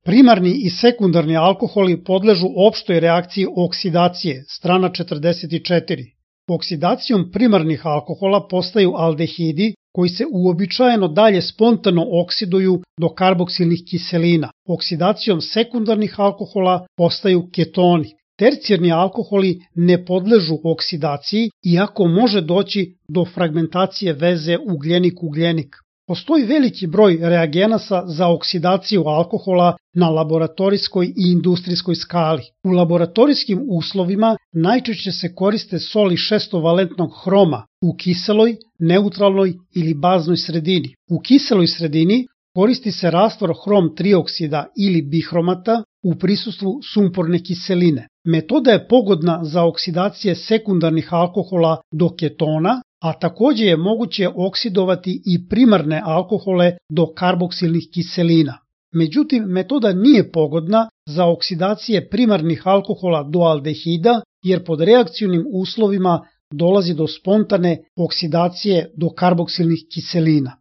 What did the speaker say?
Primarni i sekundarni alkoholi podležu opštoj reakciji oksidacije, strana 44. Oksidacijom primarnih alkohola postaju aldehidi koji se uobičajeno dalje spontano oksiduju do karboksilnih kiselina. Oksidacijom sekundarnih alkohola postaju ketoni. Tercijarni alkoholi ne podležu oksidaciji, iako može doći do fragmentacije veze ugljenik-ugljenik. Postoji veliki broj reagenasa za oksidaciju alkohola na laboratorijskoj i industrijskoj skali. U laboratorijskim uslovima najčešće se koriste soli šestovalentnog hroma u kiseloj, neutralnoj ili baznoj sredini. U kiseloj sredini koristi se rastvor hrom trioksida ili bihromata u prisustvu sumporne kiseline. Metoda je pogodna za oksidacije sekundarnih alkohola do ketona, a takođe je moguće oksidovati i primarne alkohole do karboksilnih kiselina. Međutim, metoda nije pogodna za oksidacije primarnih alkohola do aldehida, jer pod reakcijnim uslovima dolazi do spontane oksidacije do karboksilnih kiselina.